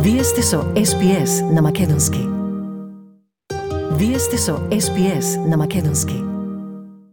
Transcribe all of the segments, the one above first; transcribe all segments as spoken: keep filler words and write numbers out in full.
Вие сте со Ес Би Ес на македонски. Вие сте со Ес Би Ес на македонски.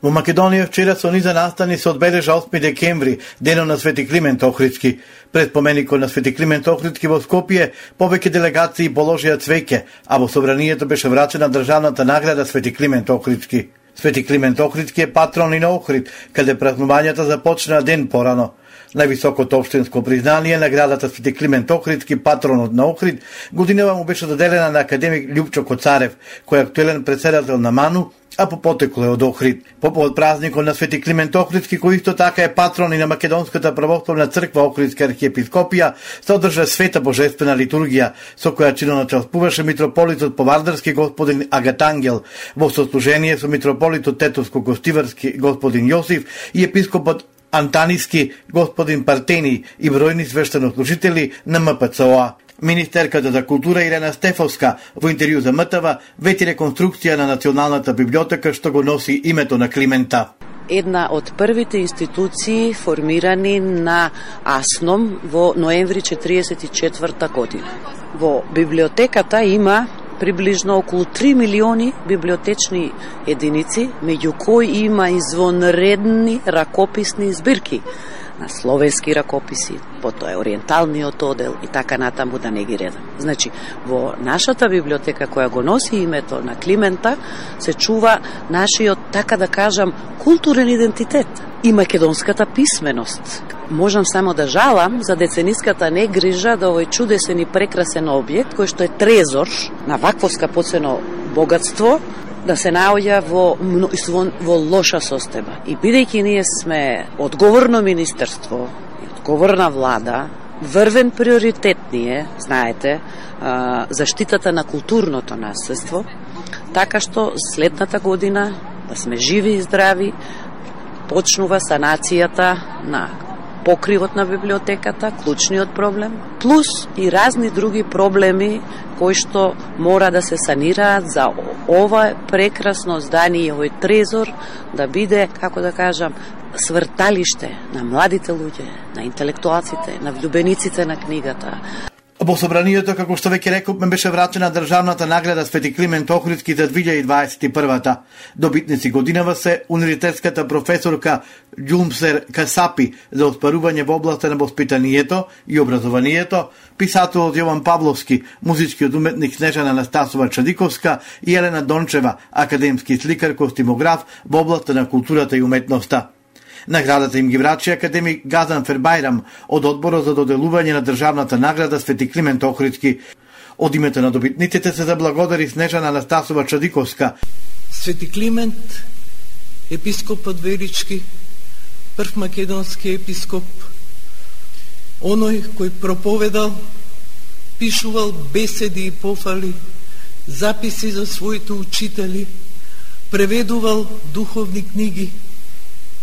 Во Македонија вчера со низа настани се одбележа осми декември, денот на Свети Климент Охридски. Пред поменикот на Свети Климент Охридски во Скопје, повеќе делегации положија цвеќе, а во собранието беше врачена државната награда Свети Климент Охридски. Свети Климент Охридски е патрон и на Охрид, каде празнувањата започнаа ден порано. Највисокото општинско признание, наградата Свети Климент Охридски, патронот на Охрид, годинава му беше доделена на академик Љупчо Коцарев, кој е актуелен председател на МАНУ, а по потекло е од Охрид. По повод празникот на Свети Климент Охридски, кој исто така е патрон и на Македонската православна црква Охридска архиепископија, се одржа света божествена литургија, со која чиноначалствуваше митрополитот Повардарски господин Агатангел, во сослужение со митрополитот Тетовско-Гостиварски господин Јосиф и епископот Антаниски господин Партени и бројни свештенослужители на М П Ц О А. Министерката за култура Ирена Стефовска во интервју за М Т В вети реконструкција на Националната библиотека што го носи името на Климента. Една од првите институции формирани на АСНОМ во ноември четириесет и четврта година. Во библиотеката има приближно околу три милиони библиотечни единици, меѓу кои има извонредни ракописни збирки на словенски ракописи, потоа е ориенталниот одел и така натаму да не ги редам. Значи, во нашата библиотека која го носи името на Климента, се чува нашиот, така да кажам, културен идентитет и македонската писменост. Можам само да жалам за децениската негрижа да овој чудесен и прекрасен објект, кој што е трезор на вакво скапоцено богатство, да се наоѓа во, во, во лоша состојба. И бидејќи ние сме одговорно министерство, одговорна влада, врвен приоритет ни е, знаете, заштитата на културното наследство, така што следната година, да сме живи и здрави, почнува санацијата на покривот на библиотеката, клучниот проблем, плюс и разни други проблеми кои што мора да се санираат за ова прекрасно здание, овој трезор да биде, како да кажам, сврталиште на младите луѓе, на интелектуалците, на влюбениците на книгата. Во собранието, како што веќе рековме, беше врачена државната награда Свети Климент Охридски за две илјади дваесет и прва. Добитници годинава се универзитетската професорка Ѓумсер Касапи за оспарување во областа на воспитанието и образованието, писателот Јован Павловски, музичкиот уметник Снежана Анастасова Чадиковска и Елена Дончева, академски сликар, костимограф во областа на културата и уметноста. Наградата им ги врачи академик Газан Фербајрам од одборот за доделување на државната награда Свети Климент Охридски. Од името на добитниците се заблагодари Снежана Анастасова Чадиковска. Свети Климент, епископот Верички, прв македонски епископ, оној кој проповедал, пишувал беседи и пофали, записи за своите учители, преведувал духовни книги,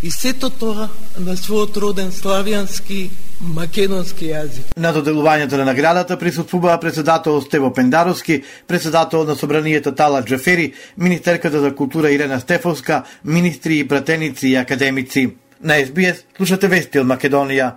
и сето тоа на својот роден славјански македонски јазик. На доделувањето на наградата присуствуваа председател Стево Пендаровски, председател на собранието Талат Джафери, министерката за култура Ирена Стефовска, министри и пратеници и академици. На Ес Би Ес слушате вести од Македонија.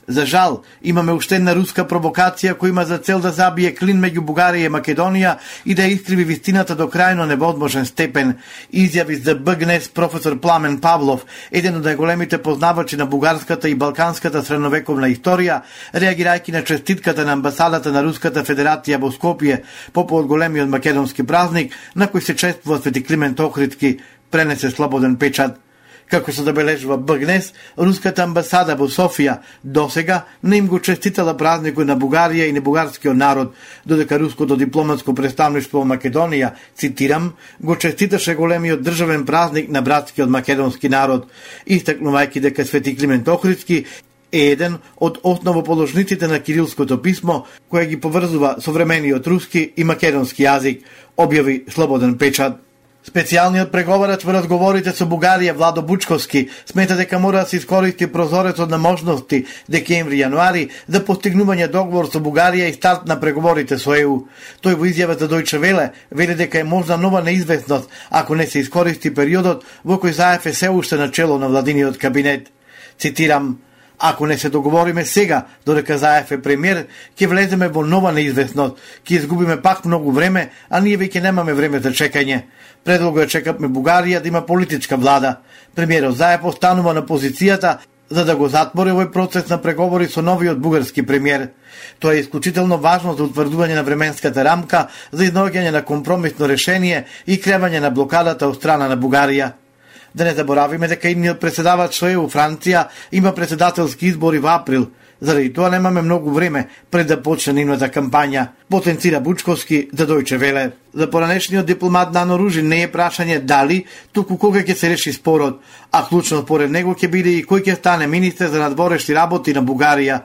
За жал, имаме уште една руска провокација која има за цел да забие клин меѓу Бугарија и Македонија и да искриви вистината до крајно невозможен степен, изјави за Б Г Н Е С професор Пламен Павлов, еден од најголемите познавачи на бугарската и балканската средновековна историја, реагирајќи на честитката на амбасадата на Руската Федерација во Скопје по повод големиот македонски празник на кој се чествува Свети Климент Охридски, пренесе слободен печат. Како се забележува Б Г Н Е С, руската амбасада во Софија досега не им го честитала празникот на Бугарија и на бугарскиот народ, додека руското дипломатско представништво во Македонија, цитирам, го честиташе големиот државен празник на братскиот македонски народ, истакнувајќи дека Свети Климент Охридски е еден од основоположниците на кирилското писмо, кој ги поврзува современиот руски и македонски јазик, објави слободен печат. Специјалниот преговарач во разговорите со Бугарија Владо Бучковски смета дека мора да се искористи прозорецот на можности декември-јануари за постигнување договор со Бугарија и старт на преговорите со Е У. Тој во изјава за Дојче Веле вели дека е можна нова неизвестност ако не се искористи периодот во кој Заев е се уште на чело на владиниот кабинет. Цитирам: Ако не се договориме сега, додека Заев е премиер, ќе влеземе во нова неизвестност, ќе изгубиме пак многу време, а ние веќе немаме време за чекање. Предлого е чекаме Бугарија да има политичка влада. Премиерот Заев останува на позицијата за да го затвори овој процес на преговори со новиот бугарски премиер. Тоа е исклучително важно за утврдување на временската рамка за изнаоѓање на компромисно решение и кревање на блокадата од страна на Бугарија. Да не заборавиме дека идниот председавач со Е У Франција има председателски избори во април. Заради тоа немаме многу време пред да почне нивната кампања, потенцира Бучковски за Дојче Веле. За поранешниот дипломат Нано Ружин не е прашање дали, туку кога ќе се реши спорот, а клучно според него ќе биде и кој ќе стане министер за надворешни работи на Бугарија.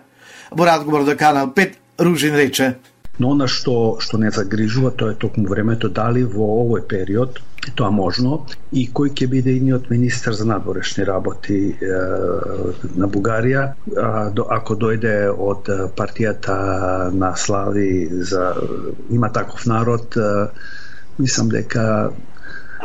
Во разговор за Канал пет, Ружин рече: Но она што што не загрижува, тоа е токму времето дали во овој период тоа можно и кој ќе биде идниот министер за надворешни работи е, на Бугарија, а, до, ако дојде од партијата на Слави за има таков народ, е, мислам дека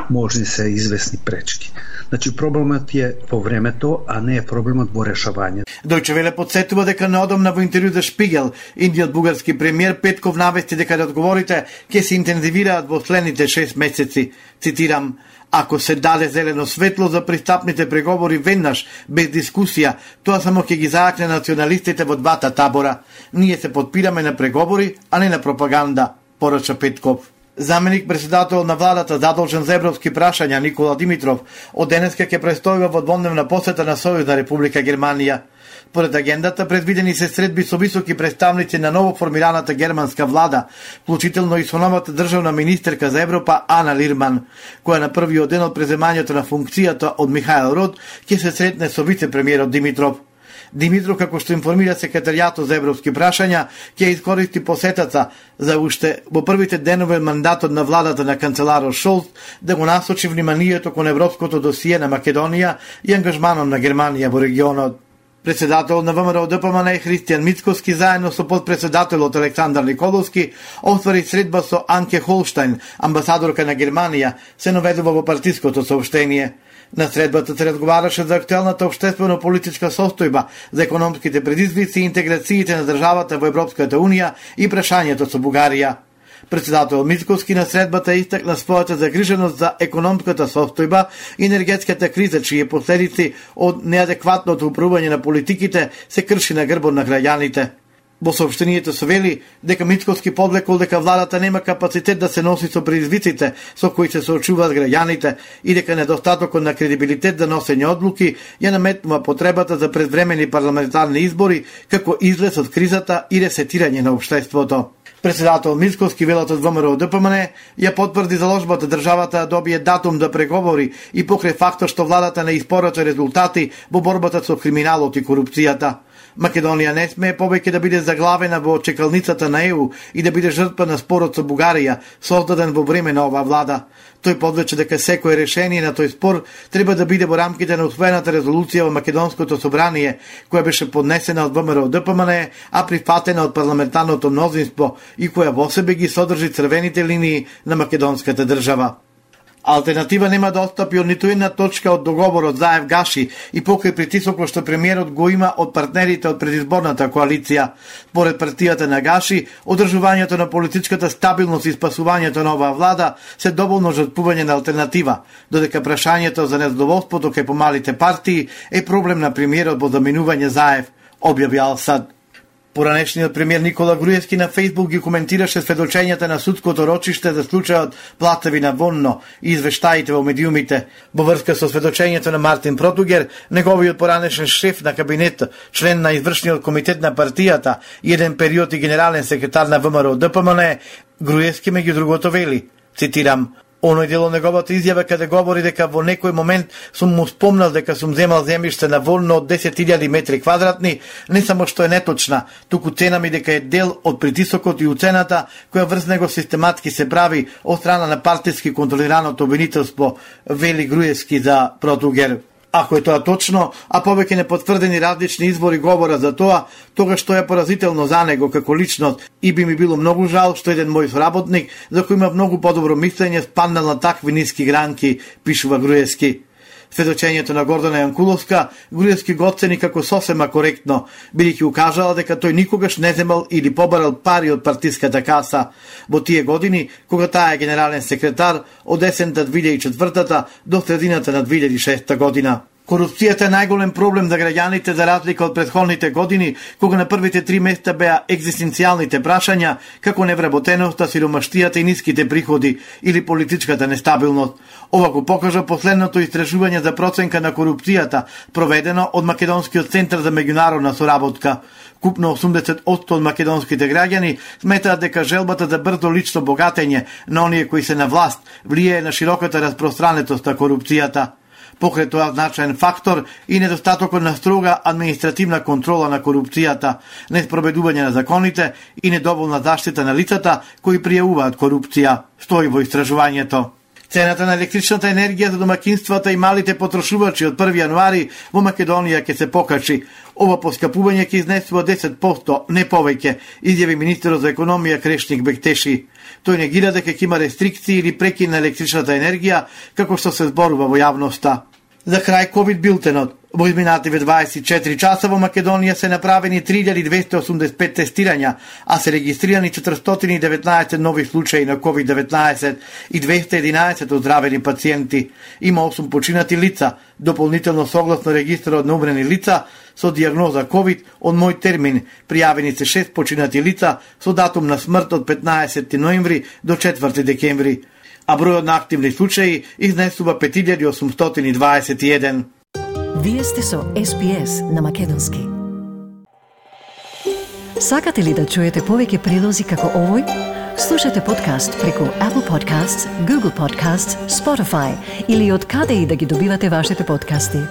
можни се известни пречки. Значи проблемот е во времето, а не е проблемот во решавање. Дојче Веле подсетува дека неодамна во интервју за Шпигел, индиот бугарски премиер Петков навести дека разговорите ќе се интензивираат во следните шест месеци. Цитирам: Ако се даде зелено светло за пристапните преговори веднаш, без дискусија, тоа само ќе ги заакне националистите во двата табора. Ние се подпираме на преговори, а не на пропаганда, порача Петков. Заменик председател на владата задолжен за европски прашања Никола Димитров од денеска ќе престојува во дводневна посета на Сојузна Република Германија. Поред агендата предвидени се средби со високи представници на ново формираната германска влада, вклучително и со новата државна министерка за Европа Ана Лирман, која на првиот ден од преземањето на функцијата од Михаел Рот ќе се сретне со вице-премиерот Димитров. Димитров, како што информира секретаријатот за европски прашања, ќе искористи посетата за уште во првите денови мандатот на владата на канцеларот Шолц да го насочи вниманието кон европското досие на Македонија и ангажманот на Германија во регионот. Председател на ВМРО Д П М Н Христијан Мицкоски заедно со подпредседателот Александар Николовски оствари средба со Анке Холштајн, амбасадорка на Германија, се наведува во партиското соопштение. На средбата се разговараше за актуелната општествено-политичка состојба, за економските предизвици и интеграциите на државата во Европската Унија и прашањето со Бугарија. Председател Мицкоски на средбата истакна својата загриженост за економската состојба и енергетската криза, чии последици од неадекватното управување на политиките се крши на грбот на граѓаните. Во соопштението се вели дека Мицкоски подлекол дека владата нема капацитет да се носи со предизвиците со кои се соочуваат граѓаните и дека недостатокот на кредибилитет за носење одлуки ја наметнува потребата за предвремени парламентарни избори како излез од кризата и ресетирање на општеството. Председател Мицкоски велат од ВМРО Д П М Н ја потврди заложбата државата да добие датум да преговори и покрај фактот што владата не испорача резултати во борбата со криминалот и корупцијата. Македонија не смее повеќе да биде заглавена во чекалницата на Е У и да биде жртва на спорот со Бугарија, создаден во време на оваа влада. Тој подлече дека секое решение на тој спор треба да биде во рамките на усвоената резолуција во Македонското собрание, која беше поднесена од ВМРО Д П М Н, а прифатена од парламентарното мнозинство и која во себе ги содржи црвените линии на македонската држава. Алтернатива нема да отстапи од ниту една точка од договорот Заев Гаши и покрај притисокот што премиерот го има од партнерите од предизборната коалиција. Поред партијата на Гаши, одржувањето на политичката стабилност и спасувањето на оваа влада се доволно жртвување на алтернатива, додека прашањето за незадоволството кај помалите партии е проблем на премиерот во заминување Заев, објави Ал-Сад. Поранешниот премиер Никола Груевски на Фејсбук ги коментираше сведочењата на судското рочиште за случајот Платевина Вонно и извештаите во медиумите. Во врска со сведочењето на Мартин Протугер, неговиот поранешен шеф на кабинет, член на извршниот комитет на партијата и еден период и генерален секретар на ВМРО Д П М Н, Груевски меѓу другото вели, цитирам: Оној дел од неговата изјава каде говори дека во некој момент сум му спомнал дека сум земал земјиште на Волно од десет илјади метри квадратни, не само што е неточна, туку цена ми дека е дел од притисокот и уцената која врз него систематски се прави од страна на партиски контролираното обвинителство, вели Груевски за Протугер. Ако е тоа точно, а повеќе непотврдени различни извори говорат за тоа, тогаш што е поразително за него како личност и би ми било многу жал што еден мој соработник, за кој има многу подобро мислење, спаднал на такви ниски гранки, пишува Груевски. Сведочењето на Гордана Јанкуловска Груевски го оцени како сосема коректно, бидејќи укажала дека тој никогаш не земал или побарал пари од партиската каса во тие години кога таа е генерален секретар од есента две илјади и четвртата до средината на две илјади и шеста година. Корупцијата е најголем проблем за граѓаните за разлика од претходните години, кога на првите три места беа екзистенцијалните прашања, како невработеноста, сиромаштијата и ниските приходи или политичката нестабилност. Ова го покажа последното истражување за проценка на корупцијата, проведено од Македонскиот центар за меѓународна соработка. Купно осумдесет одсто од македонските граѓани сметаат дека желбата за брзо лично богатење на оние кои се на власт влијае на широката распространетост на корупцијата. Покрај тоа значаен фактор и недостатокот на строга административна контрола на корупцијата, неспроведување на законите и недоволна заштита на лицата кои пријавуваат корупција, стои во истражувањето. Цената на електричната енергија за домакинствата и малите потрошувачи од први јануари во Македонија ќе се покачи. Ова поскапување ќе изнесува десет проценти, не повеќе, изјави министерот за економија Крешник Бектеши. Тој негира дека ќе има рестрикции или прекин на електричната енергија, како што се зборува во јавноста. За крај ковид билтенот. Во изминативе дваесет и четири часа во Македонија се направени три илјади двесте осумдесет и пет тестирања, а се регистрирани четиристотини и деветнаесет нови случаи на ковид деветнаесет и двесте и единаесет оздравени пациенти. Има осум починати лица, дополнително согласно регистарот на умрени лица со дијагноза ковид од мој термин, пријавени се шест починати лица со датум на смрт од петнаесети ноември до четврти декември, а бројот на активни случаи изнесува пет илјади осумстотини дваесет и еден. Вие сте со Ес Би Ес на Македонски. Сакате ли да чуете повеќе прилози како овој? Слушате подкаст преку Apple Podcasts, Google Podcasts, Spotify или од каде и да ги добивате вашите подкасти.